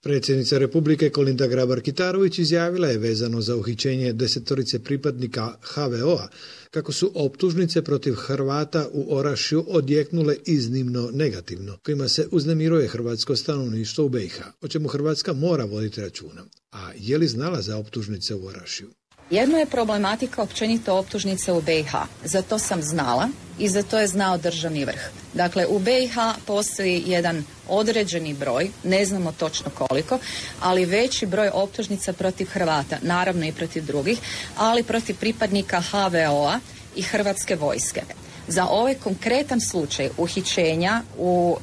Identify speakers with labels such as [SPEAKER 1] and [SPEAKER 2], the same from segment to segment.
[SPEAKER 1] Predsjednica Republike Kolinda Grabar-Kitarović izjavila je vezano za uhićenje 10 pripadnika HVO-a kako su optužnice protiv Hrvata u Orašju odjeknule iznimno negativno, kojima se uznemiruje hrvatsko stanovništvo u BiH, o čemu Hrvatska mora voditi računa. A je li znala za optužnice u Orašju?
[SPEAKER 2] Jedno je problematika općenito optužnice u BiH. Za to sam znala i za to je znao državni vrh. Dakle, u BiH postoji jedan određeni broj, ne znamo točno koliko, ali veći broj optužnica protiv Hrvata, naravno i protiv drugih, ali protiv pripadnika HVO-a i Hrvatske vojske. Za ovaj konkretan slučaj uhićenja u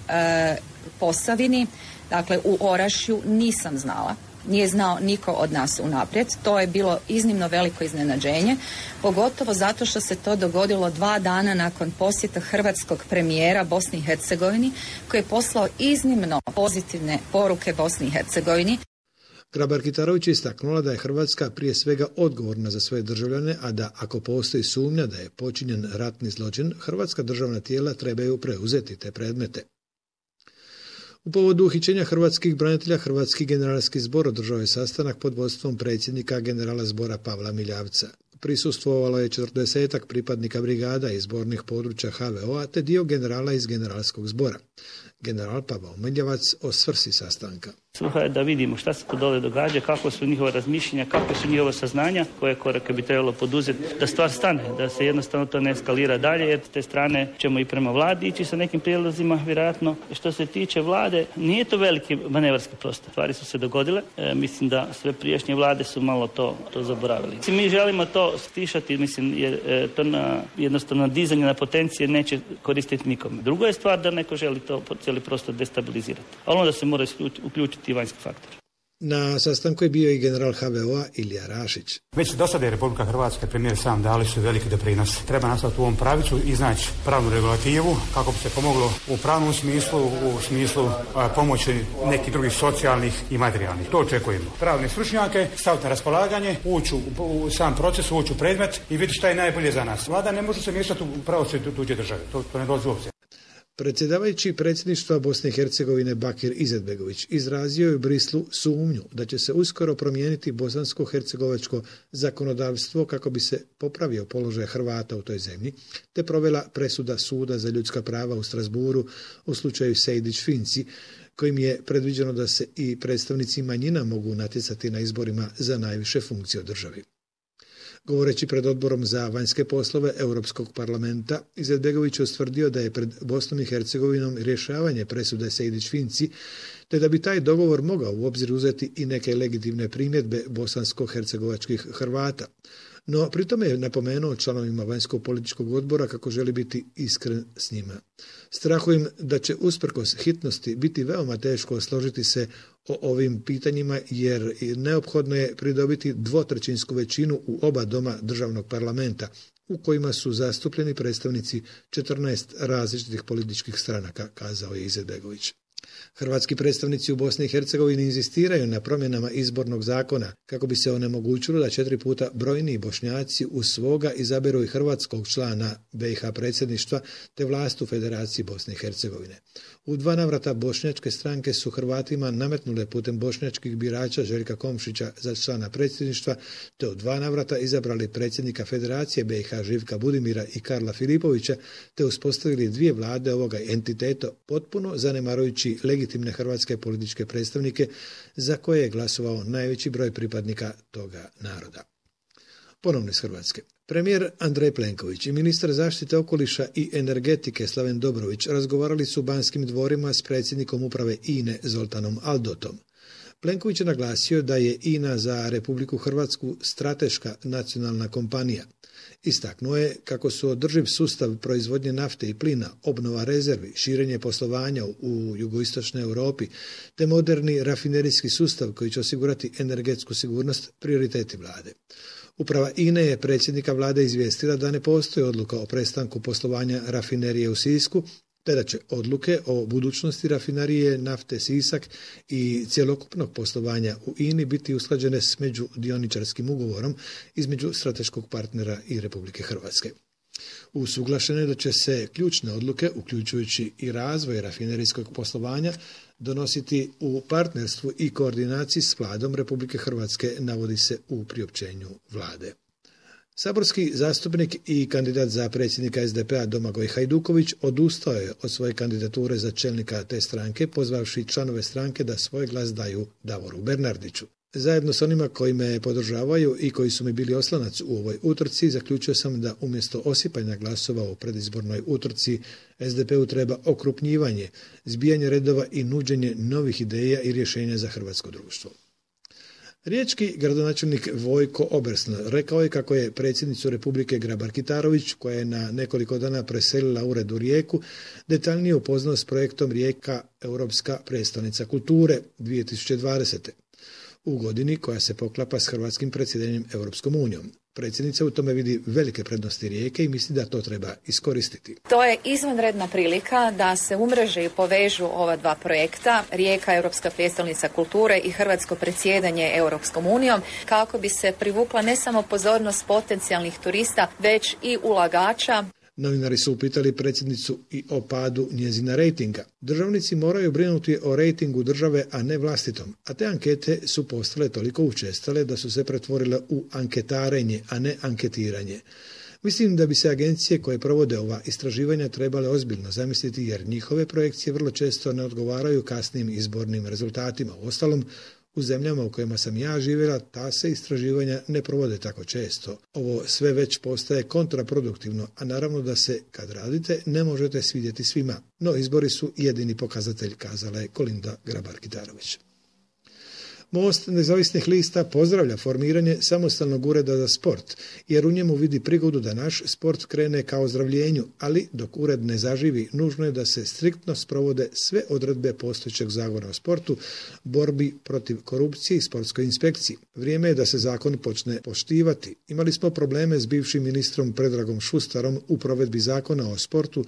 [SPEAKER 2] Posavini, dakle u Orašju, nisam znala. Nije znao niko od nas unaprijed. To je bilo iznimno veliko iznenađenje, pogotovo zato što se to dogodilo 2 dana nakon posjeta hrvatskog premijera Bosni i Hercegovini, koji je poslao iznimno pozitivne poruke Bosni i Hercegovini.
[SPEAKER 1] Grabar-Kitarović je istaknula da je Hrvatska prije svega odgovorna za svoje državljane, a da ako postoji sumnja da je počinjen ratni zločin, hrvatska državna tijela trebaju preuzeti te predmete. U povodu uhićenja hrvatskih branitelja, Hrvatski generalski zbor održao je sastanak pod vodstvom predsjednika generala zbora Pavla Miljavca. Prisustvovalo je 40 pripadnika brigada iz zbornih područja HVO-a te dio generala iz generalskog zbora. General Pavao Miljavac o svrsi sastanka.
[SPEAKER 3] Svrha je da vidimo šta se to dole događa, kako su njihova razmišljenja, kako su njihova saznanja, koje korake bi trebalo poduzeti da stvar stane, da se jednostavno to ne eskalira dalje, jer s te strane ćemo i prema vladi ići sa nekim prijedlozima, vjerojatno. Što se tiče vlade, nije to veliki manevarski prostor. Stvari su se dogodile, mislim da sve prijašnje vlade su malo to zaboravili. Mi želimo to stišati, mislim, jer to jednostavno dizanje na potencije neće koristiti nikome. Drugo je stvar da neko želi to cijeli prostor destabilizirati, ali onda se mora uključiti i vanjski faktor.
[SPEAKER 1] Na sastanku je bio i general HVO-a Ilija Rašić.
[SPEAKER 4] Već do sada je Republika Hrvatska, premijer sam dali su veliki doprinos. Treba nastaviti u ovom pravicu, iznaći pravnu regulativu kako bi se pomoglo u pravnom smislu, u smislu pomoći nekih drugih socijalnih i materijalnih. To očekujemo. Pravne stručnjake staviti na raspolaganje, ući u sam proces, ući u predmet i vidjeti šta je najbolje za nas. Vlada ne može se miješati u pravosuđe tuđe države. To ne dolazi u obzir.
[SPEAKER 1] Predsjedavajući predsjedništva Bosne i Hercegovine Bakir Izetbegović izrazio je u Brislu sumnju da će se uskoro promijeniti bosansko-hercegovačko zakonodavstvo kako bi se popravio položaj Hrvata u toj zemlji, te provela presuda Suda za ljudska prava u Strasburu u slučaju Sejdić-Finci, kojim je predviđeno da se i predstavnici manjina mogu natjecati na izborima za najviše funkcije u državi. Govoreći pred odborom za vanjske poslove Europskog parlamenta, Izetbegović je ustvrdio da je pred Bosnom i Hercegovinom rješavanje presude Sejdić-Finci, te da bi taj dogovor mogao u obzir uzeti i neke legitimne primjedbe bosansko-hercegovačkih Hrvata. No, pritome je napomenuo članovima vanjskog političkog odbora kako želi biti iskren s njima. Strahujem da će usprkos hitnosti biti veoma teško složiti se o ovim pitanjima jer neophodno je pridobiti 2/3 većinu u oba doma državnog parlamenta u kojima su zastupljeni predstavnici 14 različitih političkih stranaka, kazao je Izetbegović. Hrvatski predstavnici u Bosni i Hercegovini inzistiraju na promjenama izbornog zakona kako bi se onemogućilo da 4 puta brojniji Bošnjaci uz svoga izaberu i hrvatskog člana BiH predsjedništva te vlast u Federaciji Bosne i Hercegovine. U 2 navrata bošnjačke stranke su Hrvatima nametnule putem bošnjačkih birača Željka Komšića za člana predsjedništva te u 2 navrata izabrali predsjednika Federacije BiH Živka Budimira i Karla Filipovića te uspostavili 2 vlade ovoga entiteta potpuno zanemarujući legitimne hrvatske političke predstavnike za koje je glasovao najveći broj pripadnika toga naroda. Ponovno iz Hrvatske. Premijer Andrej Plenković i ministar zaštite okoliša i energetike Slaven Dobrović razgovarali su u Banskim dvorima s predsjednikom uprave INA-e Zoltanom Aldotom. Plenković je naglasio da je INA za Republiku Hrvatsku strateška nacionalna kompanija. Istaknuo je kako su održiv sustav proizvodnje nafte i plina, obnova rezervi, širenje poslovanja u jugoistočnoj Europi te moderni rafinerijski sustav koji će osigurati energetsku sigurnost prioriteti vlade. Uprava INA-e je predsjednika vlade izvijestila da ne postoji odluka o prestanku poslovanja rafinerije u Sisku, te da će odluke o budućnosti rafinerije nafte Sisak i cjelokupnog poslovanja u INA-i biti usklađene s međudioničarskim ugovorom između strateškog partnera i Republike Hrvatske. Usuglašeno je da će se ključne odluke, uključujući i razvoj rafinerijskog poslovanja, donositi u partnerstvu i koordinaciji s Vladom Republike Hrvatske, navodi se u priopćenju vlade. Saborski zastupnik i kandidat za predsjednika SDP-a Domagoj Hajduković odustao je od svoje kandidature za čelnika te stranke, pozvavši članove stranke da svoj glas daju Davoru Bernardiću. Zajedno s onima koji me podržavaju i koji su mi bili oslonac u ovoj utrci, zaključio sam da umjesto osipanja glasova u predizbornoj utrci SDP-u treba okrupnjivanje, zbijanje redova i nuđenje novih ideja i rješenja za hrvatsko društvo. Riječki gradonačelnik Vojko Obersnel rekao je kako je predsjednicu Republike Grabar-Kitarović, koja je na nekoliko dana preselila ured u Rijeku, detaljnije upoznao s projektom Rijeka Europska prijestolnica kulture 2020. u godini koja se poklapa s hrvatskim predsjedanjem Europskom unijom. Predsjednica u tome vidi velike prednosti Rijeke i misli da to treba iskoristiti.
[SPEAKER 2] To je izvanredna prilika da se umreže i povežu ova dva projekta, Rijeka Europska prijestolnica kulture i hrvatsko predsjedanje Europskom unijom, kako bi se privukla ne samo pozornost potencijalnih turista, već i ulagača.
[SPEAKER 1] Novinari su upitali predsjednicu i o padu njezina rejtinga. Državnici moraju brinuti o rejtingu države, a ne vlastitom. A te ankete su postale toliko učestale da su se pretvorile u anketarenje, a ne anketiranje. Mislim da bi se agencije koje provode ova istraživanja trebale ozbiljno zamisliti, jer njihove projekcije vrlo često ne odgovaraju kasnim izbornim rezultatima. Uostalom, u zemljama u kojima sam ja živjela, ta se istraživanja ne provode tako često. Ovo sve već postaje kontraproduktivno, a naravno da se, kad radite, ne možete svidjeti svima. No, izbori su jedini pokazatelj, kazala je Kolinda Grabar-Kitarović. Most nezavisnih lista pozdravlja formiranje samostalnog ureda za sport, jer u njemu vidi prigodu da naš sport krene ka ozdravljenju, ali dok ured ne zaživi, nužno je da se striktno sprovode sve odredbe postojećeg zakona o sportu, borbi protiv korupcije i sportskoj inspekciji. Vrijeme je da se zakon počne poštivati. Imali smo probleme s bivšim ministrom Predragom Šustarom u provedbi zakona o sportu,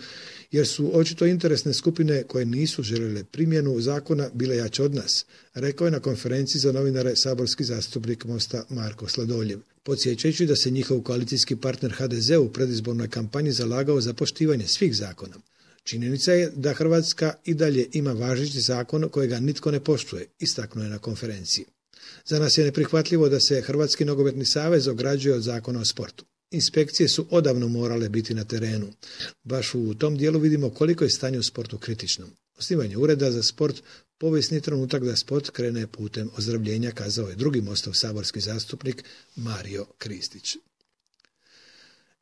[SPEAKER 1] jer su očito interesne skupine koje nisu željele primjenu zakona bile jače od nas, rekao je na konferenciji za novinare saborski zastupnik Mosta Marko Sladoljev, podsjećajući da se njihov koalicijski partner HDZ u predizbornoj kampanji zalagao za poštivanje svih zakona. Činjenica je da Hrvatska i dalje ima važeći zakon kojega nitko ne poštuje, istaknuo je na konferenciji. Za nas je neprihvatljivo da se Hrvatski nogometni savez ograđuje od zakona o sportu. Inspekcije su odavno morale biti na terenu. Baš u tom dijelu vidimo koliko je stanje u sportu kritično. Osnivanje ureda za sport povijesni trenutak da sport krene putem ozdravljenja, kazao je drugi Mostov saborski zastupnik Mario Kristić.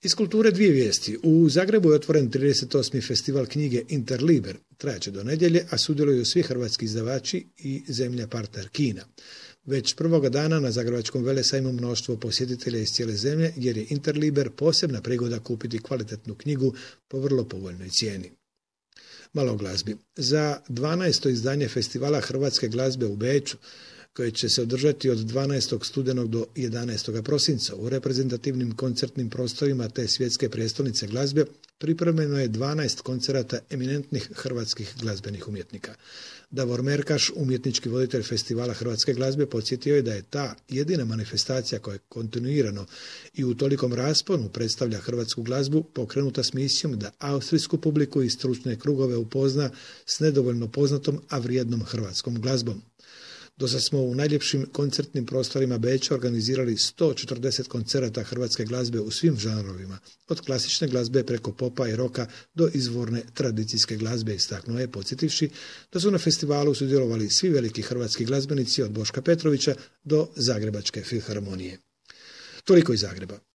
[SPEAKER 1] Iz kulture dvije vijesti. U Zagrebu je otvoren 38. festival knjige Interliber. Trajaće do nedjelje, a sudjeluju svi hrvatski izdavači i zemlja partner Kina. Već prvoga dana na Zagrebačkom velesajmu mnoštvo posjetitelja iz cijele zemlje, jer je Interliber posebna prigoda kupiti kvalitetnu knjigu po vrlo povoljnoj cijeni. Malo o glazbi. Za 12. izdanje festivala hrvatske glazbe u Beču, koje će se održati od 12. studenog do 11. prosinca u reprezentativnim koncertnim prostorima te svjetske prijestolnice glazbe, pripremljeno je 12 koncerata eminentnih hrvatskih glazbenih umjetnika. Davor Merkaš, umjetnički voditelj festivala hrvatske glazbe, podsjetio je da je ta jedina manifestacija koja je kontinuirano i u tolikom rasponu predstavlja hrvatsku glazbu pokrenuta s misijom da austrijsku publiku i stručne krugove upozna s nedovoljno poznatom, a vrijednom hrvatskom glazbom. Dosad smo u najljepšim koncertnim prostorima Beča organizirali 140 koncerata hrvatske glazbe u svim žanrovima, od klasične glazbe preko popa i roka do izvorne tradicijske glazbe, istaknuo je, podsjetivši da su na festivalu sudjelovali svi veliki hrvatski glazbenici od Boška Petrovića do Zagrebačke filharmonije. Toliko iz Zagreba.